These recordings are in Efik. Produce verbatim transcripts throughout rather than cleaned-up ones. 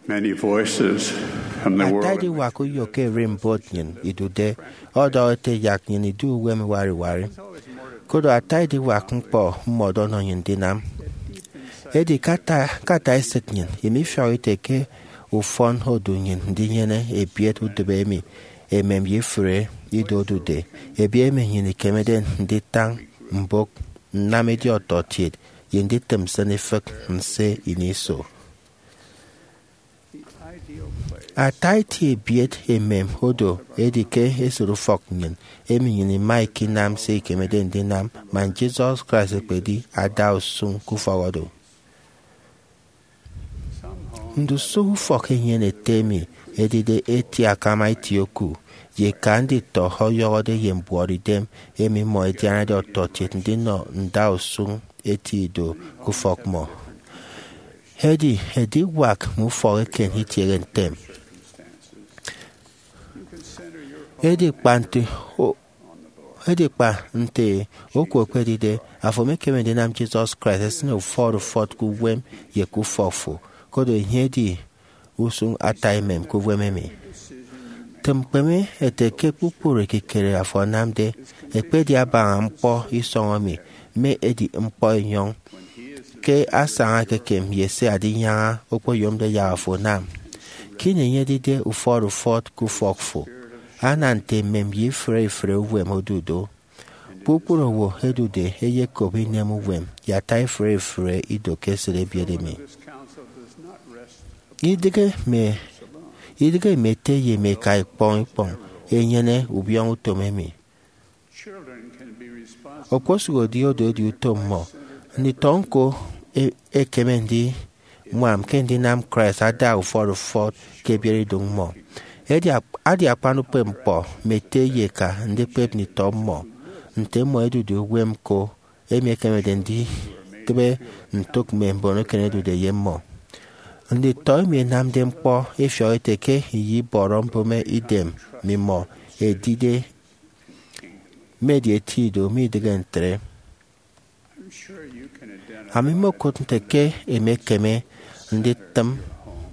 Many voices from the world. Ata ediwak uyo ke ererimbot nnyịn idude ọdọhọ ete yak nnyịn idu uwem iwari iwari. Koro ata ediwak ñkpọ mmọdo ọnọ nnyịn ndinam. Edi ke ata, ke ata esịt nnyịn, imifiọk ite ke ufọn odu nnyịn ndinyene ebiet udịbe emi emem ye ifụre ido odude, ebiet emi nnyịn ikemede nditañ mbụk, nnam edi ọtọkiet, ye nditịm nsịn ifịk nse ini iso. Ata eti ebiet emem odo edi ke esịt ufọk nnyịn, emi nnyịn ima ikinam se ikemede ndinam man Jesus Christ ekpedi ada usụñ ke ufọk odo. Ndusụk ufọk enyene ete emi edide eti akama eti oku ye eka nditọ ọyọhọde ye mbuọtidem emi mmọ ẹdianade ọtọkiet ndinọ nda usụñ eti ido ke ufọk mmọ. Edi ediwak mme ufọk eken itiehe ntem. Edi kpa nte o- edi kpa nte oku ekpedide, afo emekeme ndinam Jesus Christ esịne ufọt ufọt ke uwem ye ke ufọk fo, koro enye edi usụñ ata emem ke uwem emi. Tịm ñkpeme ete ke kpukpru ekikere afo anamde, ekpedi abaña ñkpọ isọñ emi, mme edi ñkpọ enyọñ, ke asaña ekekem ye se adinyaña okpoyomde yak afo anam. Ke ini enye edide ufọt ufọt ke ufọk fo, ana nte emem ye ifụre ifụre uwem odu do. Kpukpru owo ẹdude ẹyekop inem uwem ye ata ifụre ifụre ido ke esịt ebiet emi. Idịghe mme, idịghe mme ete ye mme eka ikpọñ ikpọñ ẹnyene ubiọñọ utom emi. Okposụkedi odo edi utom mmọ, nditọ ñko e- ekeme ndiñwam ke ndinam Christ ada ufọt ufọt ke ebiereidụñ mmọ. Edi ak- adi akpan ukpepñkpọ mme ete ye eka ndikpep nditọ mmọ nte mmọ ẹdude uwem ñko, emi ekemede nditịbe ntụk mme mbon eken ẹdude ye mmọ. Nditọ emi ẹnamde ñkpọ ẹfiọk ẹte ke iyibọrọ mbụme idem mmimọ edide mme edi eti ido, midịghe ntre. Ami mmokụt nte ke emekeme nditịm,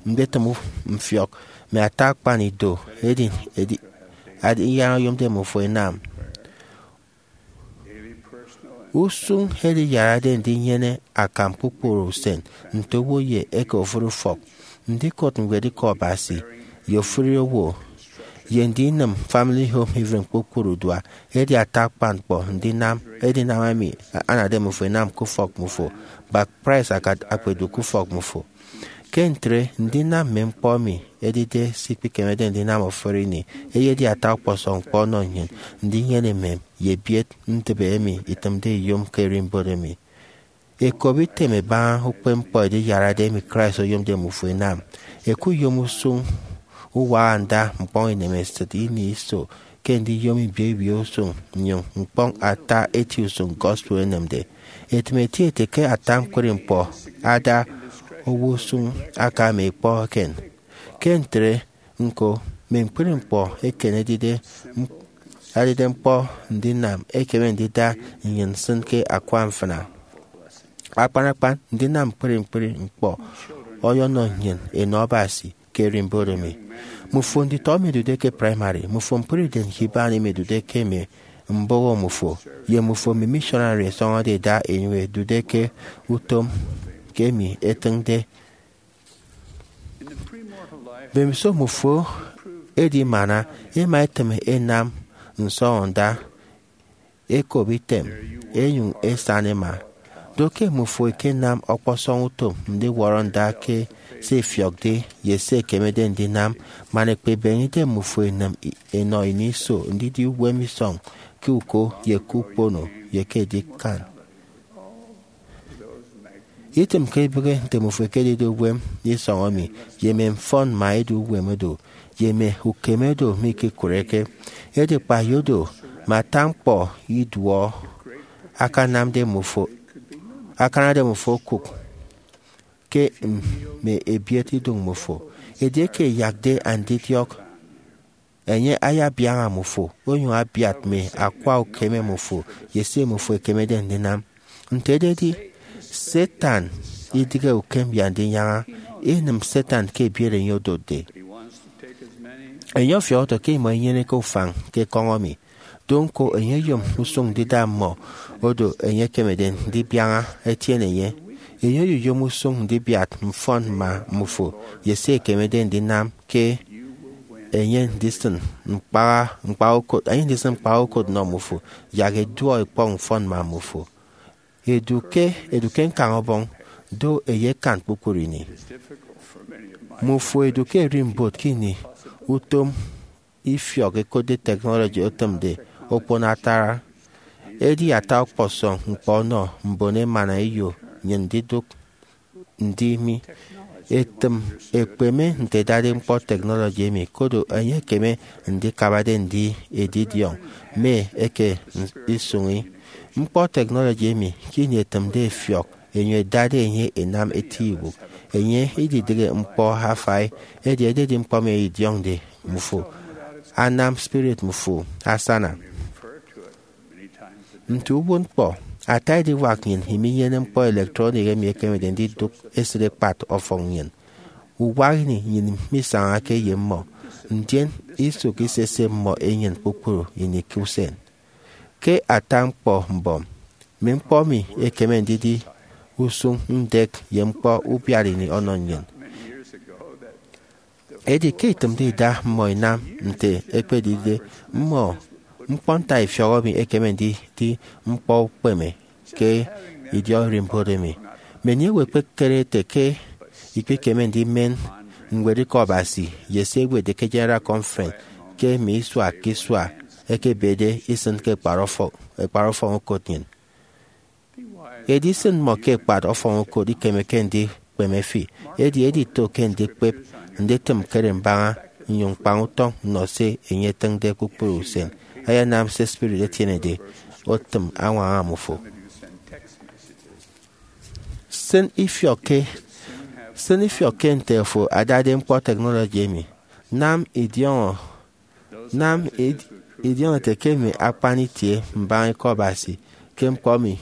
nditịm mfiọk mme ata akpan ido edi, edi, edi iyaña oyomde mmufo ẹnam. Usụñ ediyarade ndinyene akam kpukpru usen nte owo ye eke ofụri ufọk, ndikot ñwed Ikọ Abasi ye ofụri owo, ye ndinịm Family Home Evening kpukpru dua, edi ata akpan ñkpọ ndinam, edinam emi anade mmufo ẹnam ke ufọk mmufo, kpa Christ aka- akpedu ke ufọk mmufo. Ke ntre, ndinam mme ñkpọ emi edide se ikpikemede ndinam ofụri ini eyedi ata ọkpọsọñ ñkpọ ọnọ nnyịn ndinyene emem ye ebiet ndịbe emi itịmde iyom ke ererimbot emi. Ẹkop item ẹbaña ukpepñkpọ ediyarade emi Christ oyomde mmufo ẹnam. Ẹkuyom usụñ uwaha nda ñkpọñ inemesịt ini iso ke ndiyom ibio ibio usụñ nnyụñ ñkpọñ ata eti usụñ gospel enemde. Ẹtịm ẹti ẹte ke ata ñkpri ñkpọ ada owo usụñ aka mme ikpọ eken. Ke ntre, ñko, mme ñkpri ñkpọ eken ẹdide, ẹdide ñkpọ ndinam ẹkeme ndida nnyịn nsịn ke akwa mfịna. Akpan akpan, ndinam ñkpri ñkpri ñkpọ ọyọnọ nnyịn enọ Abasi ke ererimbot emi. Mmufo nditọ emi ẹdude ke praimari, mmufo ñkpri idem ke iban emi ẹdude ke mme mbụghọ mmufo, ye mmufo mme missionary ẹsọñọde ẹda ẹnyụñ ẹdude ke utom ke emi ẹtịñde. Mbemiso mmufo edimana, ẹma ẹtịm ẹnam nsọñọnda, ẹkop item, ẹnyụñ ẹsan ẹma. Do ke mmufo ẹkenam ọkpọsọñ utom ndiwọrọ nda ke se ẹfiọkde ye se ẹkemede ndinam, man ẹkpebeñe idem mmufo ẹnịm i- ẹnọ ini iso ndidi uwem isọñ ke uko ye ke ukpono ye ke edikan. Itịmke ibịghi nte mmufo ẹkedide uwem isọñ emi, ye mme mfọn mme edu uwem odo, ye mme ukeme odo mikekụreke. Edi kpa ye odo, mme ata ñkpọ iduọ akanamde mmufo, akanade mmufo okụk ke mme ebiet idụñ mmufo. Edieke ẹyakde andidiọk, enye ayabiaña mmufo, onyụñ abiat mme akwa ukeme mmufo ye se mmufo ẹkemede ndinam. Nte ededi, Satan idịghe ukem ye andinyaña, inịm Satan ke ebiet enye odotde. Enye ọfiọk oto ke imọ inyeneke ufañ ke ekọñ emi. Do ñko, enye oyom usụñ ndida mmọ odo enye ekemede ndibiaña etiene enye. Enye oyoyom usụñ ndibiat mfọn mma mmufo ye se ekemede ndinam ke enye ndisịn ñkpa ñkpa ukot, enye ndisịn ñkpa ukot nnọ mmufo. Yak eduọ ikpọñ mfọn mma mmufo. Edu ke edu ke ñkañ ọbọñ, do eyekan kpukpru ini. Mmufo edu ke erimbot ke ini utom ifiọk ekotde technology otịmde okpon atara. Edi ata ọkpọsọñ ñkpọ ọnọ mbon emana eyo nnyịn ndidụk. Ndi mi etịm ekpeme nte ẹdade ñkpọ technology emi, koro enye ekeme ndikabade ndi edidiọñ mme eke isụñi. Ñkpọ technology emi ke ini etịmde efiọk, enye edade enye enam eti ibụk. Enye ididịghe ñkpọ afai, edi ededi ñkpọ emi edidiọñde mmufo anam spirit mmufo asana. Nte uwụtñkpọ, ata ediwak nnyịn iminyene ñkpọ electronic emi ekemede ndidụk esịt ekpat ọfọñ nnyịn. Uwak ini nnyịn misañake ye mmọ, ndien isụk isese mmọ enyịn kpukpru ini ke usen. Ke ata ñkpọ mbọm, mme ñkpọ emi ekeme ndidi usụñ ndek ye ñkpọ ubiat ini ọnọ nnyịn. Edi ke itịmde ida mmọ inam nte ekpedide mmọ, ñkpọnta ifiọk emi ekeme ndidi ñkpọ ukpeme ke idiọk ererimbot emi. Many owo ẹkpekere ete ke ikpikeme ndimen ñwed Ikọ Abasi ye se ẹwetde ke General Conference ke mme isua ke isua ẹkebede isịn ke ekpat ọfọñ, ekpat ọfọñ ukot nnyịn. Edi isịn mmọ ke ekpat ọfọñ ukot ikemeke ndikpeme fi, edi edito ke ndikpep nditịm ñkere mbaña nnyụñ ñkpañ utọñ nnọ se enye etịñde kpukpru usen. Ayanam se spirit etienede otịm añwaña mmufo. Sịn ifiọk ke, sịn ifiọk ke nte afo adade ñkpọ technology emi. Nam idiọñọ, nam id-, idiọñọ ete ke mme akpan itie mbaña Ikọ Abasi ke ñkpọ emi.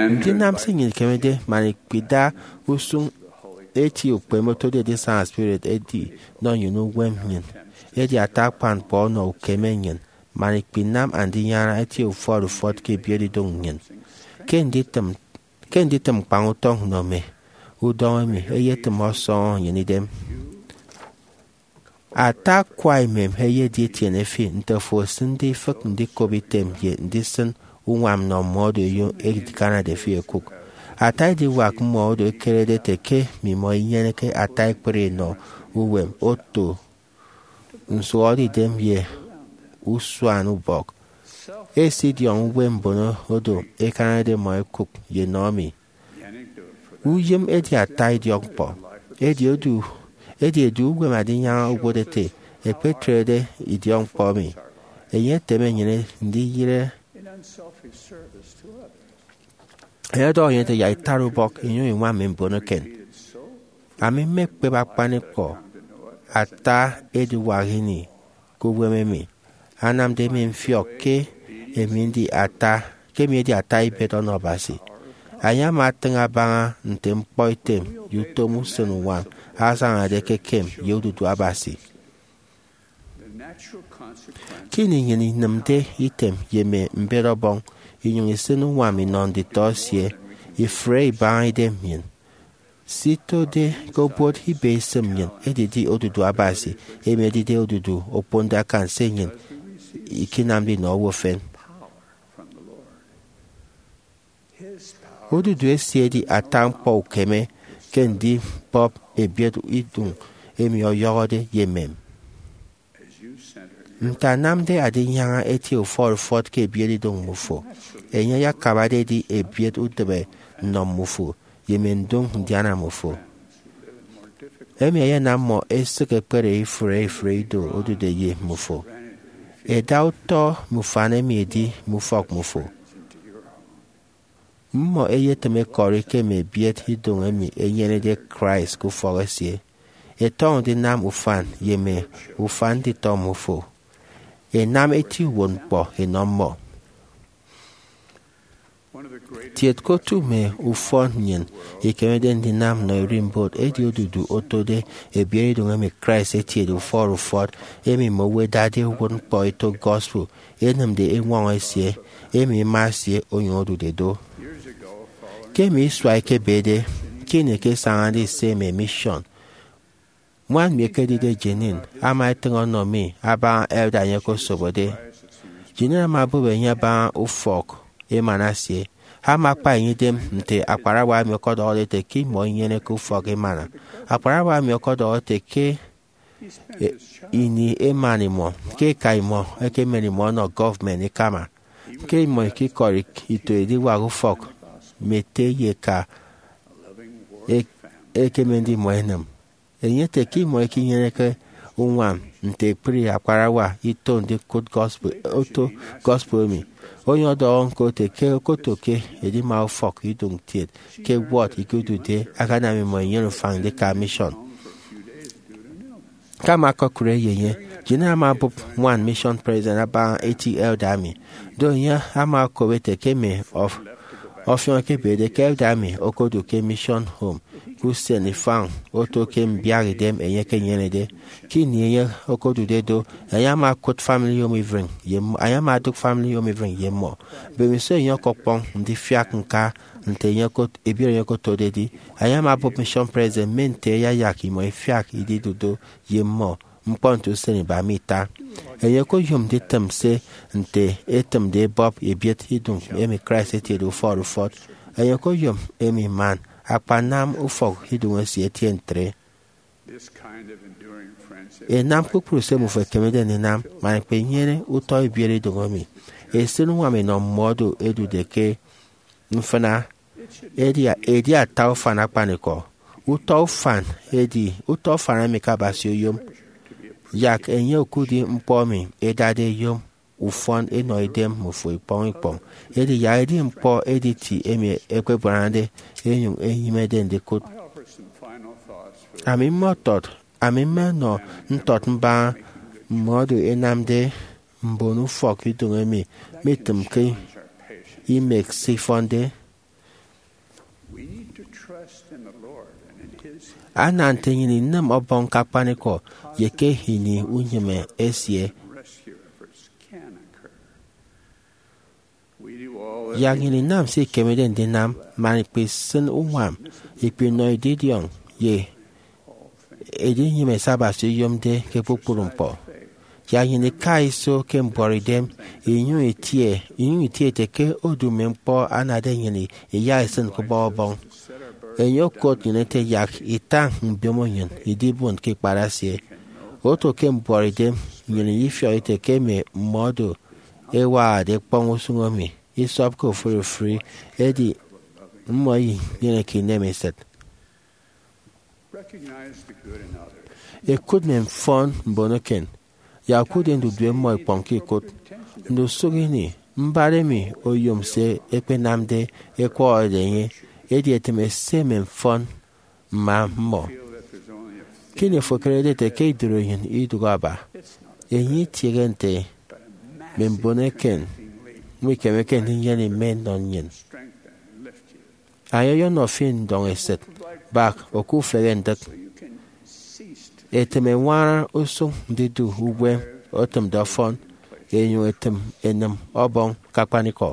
Ndinam se nnyịn ikemede man ikpida usụñ eti ukpeme otode edisaña spirit edi nọ nnyịn uwem nnyịn, edi ata akpan ñkpọ ọnọ ukeme nnyịn man ikpinam Andinyaña etie ufọt ufọt ke ebiet idoñ nnyịn. Ke nditịm, ke nditịm ñkpañ utọñ nnọ mme udọñ emi, eyetịm ọsọñọ nnyịn idem. Ata akwa emem eyedi etiene fi nte afo esịnde ifịk ndikop item ye ndisịn uñwam nnọ mmọ odo eyo edikanade fi ẹkụk. Ata ediwak mmọ odo ẹkerede ete ke mmimọ inyeneke ata ekpri inọ uwem oto nsụhọdeidem ye usuanubọk. Esidiọñ uwem mbon odo ẹkanade mmọ ẹkụk ye nnọ mi. Uyịm edi ata idiọkñkpọ. Edi odu, edi edu uwem Andinyaña owụt ete, ekpetrede idiọkñkpọ emi, enye eteme nnyịn ndiyịre. Enye ọdọhọ nnyịn ete, yak itara ubọk inyụñ iñwam mme mbon eken. Ami mmekpep akpanikọ ata ediwak ini ke uwem emi, anamde emi mfiọk ke emi ndi ata, ke emi edi ata ibet ọnọ Abasi. Enye ama atịñ abaña nte ñkpọ item ye utom usen uñwam asañade ke ekem ye odudu Abasi. Ke ini nnyịn inịmde item ye mme mbet Ọbọñ, inyụñ isịn uñwam inọ nditọ esie, ifre ibaña idem nnyịn. Se itode ke obot ibe isịm nnyịn edidi odudu Abasi, emi edide odudu okponde akan se nnyịn ikinamde inọ owo efen. Odudu esie edi ata ñkpọ ukeme ke ndibọp ebiet idoñ emi ọyọhọde ye emem. Nte anamde Andinyaña etie ufọt ufọt ke ebiet idoñ mmufo, enye ayakabade edi ebiet utịbe nnọ mmufo ye mme ndoñ ndiana mmufo. Emi ayanam mmọ ẹsịk ẹkpere ifụre ifụre ido odude ye mmufo. Ẹda utọ mme ufan emi ẹdi mme ufọk mmufo. Mmọ ẹyetịm ẹkọri ke mme ebiet idoñ emi ẹnyenede Christ ke ufọk esie. Ẹtọñọ ndinam ufan ye mme ufan nditọ mmufo. Ẹnam eti uwụtñkpọ ẹnọ mmọ. Tiet ke otu mme ufọn nnyịn ikemede ndinam nnọ ererimbot edi odudu otode ebiere idoñ emi Christ etiede ufọt ufọt, emi mme owo ẹdade uwụtñkpọ eto gospel, enịmde eñwọñọ esie, emi ema esie onyụñ odude do. Ke mme isua ẹkebede, ke ini ẹkesañade ise mme mission, ñwan mi ekedide Jeanene ama etịñ ọnọ mi abaña elder enye okosobode. Jeanene ama obụp enye abaña ufọk emana esie. Ama akpa enye idem nte akparawa emi ọkọdọhọde ete ke imọ inyeneke ufọk emana. Akparawa emi ọkọdọhọ ete ke e, ini emana imọ, ke eka imọ ekemen imọ ọnọ gọọmenti ikama, ke imọ ikikọri ito ediwak ufọk mme ete ye eka e, ekemende imọ enịm. Enye ete ke imọ ikinyeneke uñwam nte ekpri akparawa ito ndikụt gospel, oto gospel emi. Enye ọdọhọ ñko ete ke okoto ke edima ufọk iduñ kiet ke ward ikedude akanam imọ inyene ufañ ndika mission. Ke ama ọkọkụre ye enye, Jeanene ama obụp ñwan mission president abaña eti elder emi. Do enye ama okop ete ke mme ọf-, ọfiọñ ẹkebede ke elder emi okodu ke mission home ke usen ifañ oto ke mbiaha idem enye ekenyenede. Ke ini enye okodude do, enye ama okụt family home evening ye mmọ, enye ama odụk family home evening ye mmọ. Mbemiso enye ọkọkpọñ ndifiak ñka nte enye okot-, ebiere enye okotode edi, enye ama obụp mission president mme nte ẹyayak imọ ifiak ididu do ye mmọ ñkpọ nte usen iba me ita. Enye okoyom nditịm se nte etịmde ebọp ebiet iduñ emi Christ etiede ufọt ufọt. Enye okoyom emi man akpanam ufọk iduñ esie etie ntre. Enam kpukpru se mmufo ẹkemede ndinam man ikpenyene utọ ebiere idoñ emi. Esịn uñwam enọ mmọdo ẹdude ke mfịna edi, edi ata ufan akpanikọ. Utọ ufan edi utọ ufan emi ke Abasi oyom. Yak enye okudi ñkpọ emi ẹdade ẹyom ufọn ẹnọ idem mmufo ikpọñ ikpọñ. Edi yak edi ñkpọ editi emi ẹkpebuanade ẹnyụñ ẹnyịmede ndikụt. Ami mmọtọt, ami mmenọ ntọt mbaña mmọdo ẹnamde mbon ufọk idoñ emi mitịmke imek se ifọnde. Ana nte nnyịn inịm Ọbọñ ke akpanikọ ye ke ini unyịme esie. Yak nnyịn inam se ikemede ndinam man ikpisịn uñwam, ikpinọ edidiọñ ye edinyịme se Abasi oyomde ke kpukpru ñkpọ. Yak nnyịn ika iso ke mbuọtidem, inyụñ itie, inyụñ itie ete ke odu mme ñkpọ anade nnyịn iyaisịn ke ubọk Ọbọñ. Enye okot nnyịn ete yak itañ mbiomo nnyịn idibon ke ikpat esie. Oto ke mbuọtidem, nnyịn ifiọk ete ke mme mmọdo ẹwahade ẹkpọñ usụñ emi isọpke ofụri ofụri, edi mmọ inyeneke inem esịt. Ẹkụt mme mfọn mbon eken, yak ẹkụtde ndudue mmọ ikpọñ ke ikụt. Ndusụk ini, mbat emi oyom se ẹkpenamde ẹkwọhọde enye, edi etịme se mme mfọn mma mmọ. Ke ini fo ekerede ete ke idụri enyịn idụk aba, enye itiehe nte mme mbon eken mikemeke ndinyene ime nnọ nnyịn. Enye ọyọnọ fi ndọñ esịt, bak oku ufehe ndịk. Etịm eñwañara usụñ ndidu uwem otịmde ọfọn, enyụñ etịm enịm Ọbọñ ke akpanikọ.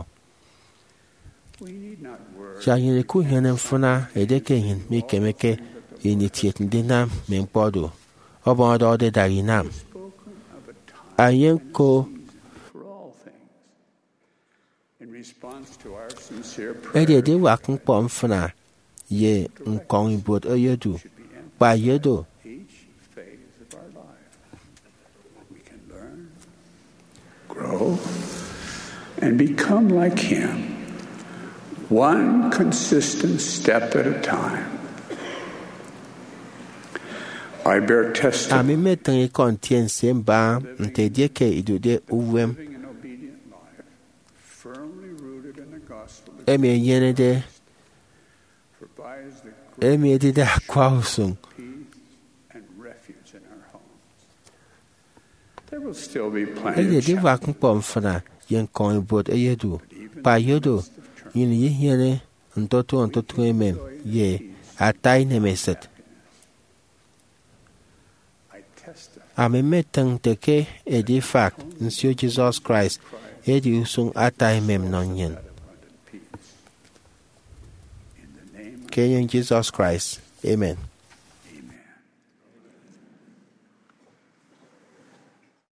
Yak nnyịn ikunyene mfịna edieke nnyịn mikemeke ini kiet ndinam mme ñkpọ do. Ọbọñ ọdọhọde dak inam. Enye ñko. Edi ediwak ñkpọ mfịna ye ñkọñ ibuot eyedu, kpa ye do. Grow and become like Him, one consistent step at a time. I bear testimony. Ami mmetịñ ikọ ntiense mbaña nte edieke idude uwem emi enyenede, emi edide akwa usụñ. Edi ediwak ñkpọ mfịna ye ñkọñ ibuot eyedu, kpa ye do. nnyịn iyenyene ntotụñọ ntotụñọ emem ye ata inemesịt. Ami mmetịñ nte ke edifak nsio Jesus Christ edi usụñ ata emem nnọ nnyịn. Ke enyịñ Jesus Christ, amen.